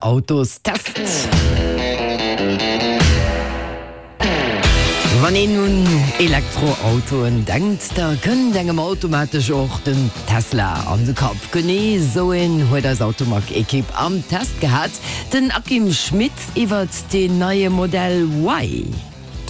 Autostest. Wann een un Elektroautoen denkt, da kënnt engem automatesch och den Tesla an de Kapp. Genee esou een huet eis Automag-Ekipp am Test gehat, den Akim Schmit iwwert deen neie Modell Y.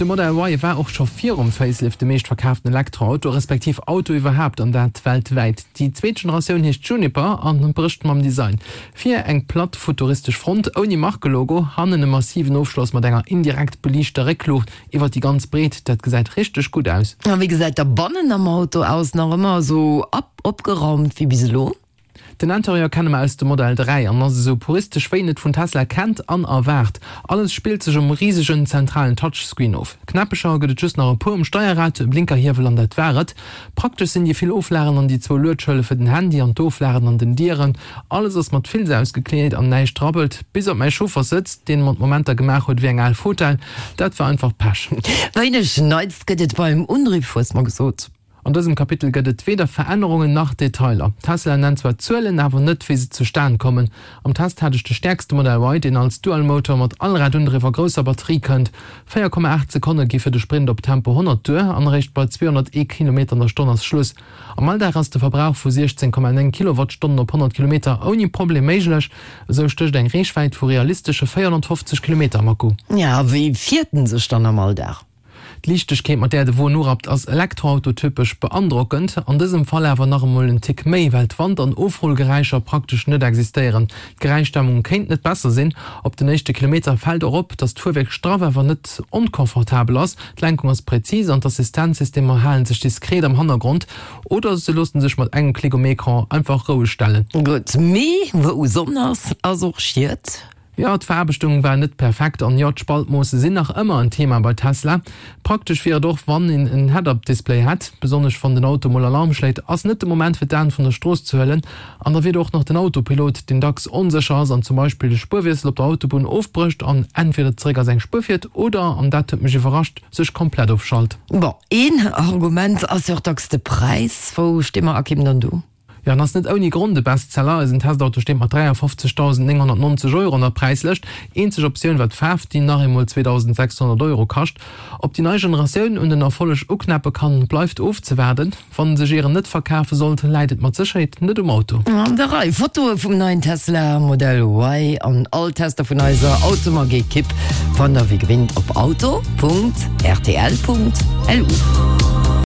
De Model Y war och scho virum Facelift de meescht verkaaften Elektroauto, respektiv Auto iwwerhaapt, an dat weltwäit. Déi zweet Generatioun heescht Juniper an brécht mam Design. Vir eng platt futuristesch Front ouni Markelogo, hannen e massiven Ofschloss mat enger indirekt beliichter Réckluucht iwwer déi ganz Breet. Dat gesäit richteg gutt aus. A wéi gesäit da bannen am Auto aus? Nach ëmmer esou opgeraumt wéi bis elo? Den Interieur kenne mer aus dem Modell 3 an ass esou puristesch wéi een et vun Tesla kennt an erwaart. Alles spillt sech um risegen zentralen Touchscreen of. Knäppecher gëtt et just nach e puer um Steierrad, e Blinkerhiewel an dat war et. Praktesch sinn déi vill Oflagen an déi zwou Luedschëlle fir den Handy an d'Oflagen an den Dieren. Alles ass mat Filz ausgekleet an näischt rabbelt, bis op mäi Chaufferssëtz, deen mat Momenter gemaach huet wéi eng al Fotell. Dat war einfach Pech. Wéineg Neits gëtt et beim Undriff, hues mer gesot. An dësem Kapitel gëtt et weder Verännerungen nach Detailer. Tesla nennt zwar d'Zuelen, awer net wéi se zustan kommen. Am Test hat ech de stäerkste Modell Y, deen als Dual-Motor mat Allradundriff a grousser Batterie kënnt. 4,8 Sekonne gi fir de Sprint op Tempo 100 duer an eréischt bei 201 Kilometer an der Stonn ass Schluss. Am Alldag ass de Verbrauch vu 16,9 Kilowattstonnen op 100 Kilometer ouni Problem méiglech. Esou stécht eng Reechwäit vu realistesche 450 Kilometer am Akku. Ja, wéi fiert en sech dann am Alldag? D'Liichtegkeet, mat där de Won urappt, ass elektroautotypesch beandrockend. An dësem Fall awer nach emol en Tick méi, well d'Wand an Ofrullgeräischer praktesch net existéieren. D'Geräischdämmung kéint net besser sinn. Op den éischte Kilometer fält och op, dass d'Fuerwierk straff awer net onconfortabel ass. D'Lenkung ass präzis an d'Assistenzsystemer hale sech diskret am Hannergrond oder se loosse sech mat engem Klick um Ecran einfach roueg stellen. Gutt, mee wou Sonn ass, ass och Schiet. Jo, d'Veraarbechtung war net perfekt an jo, d'Spaltmoosse sinn nach ëmmer en Thema bei Tesla. Praktesch wier et och, wann een en Head-Up-Display hätt, besonnesch wann den Auto mol Alarm schléit, ass net de Moment fir d'Aen vun der Strooss ze huelen. An da wier do och nach den Autopilot, deen dacks onsécher ass an zum Beispill de Spuerwiessel op der Autobunn ofbrécht an entweder zeréck a seng Spuer fiert oder, an dat huet mech iwwerrascht, sech komplett ofschalt. Bon, een Argument ass jo och dacks de Präis. Wou sti mer Akim dann do? Jo, en ass net ouni Grond e Bestseller. Eisen Testauto steet mat 53.990 Euro an der Präislëscht. Eenzeg Optioun war d'Faarf, déi nach eemol 2.600 Euro kascht. Ob déi nei Generatioun un den Erfolleg uknäppe kann, bleift ofzewaarden. Wann sech ieren net verkafe sollt, läit et mat Sécherheet net um Auto. An der Rei Fotoe vum neien Tesla Model Y an all Tester vun eiser Automag-Ekipp fannt der wéi gewinnt op auto.rtl.lu.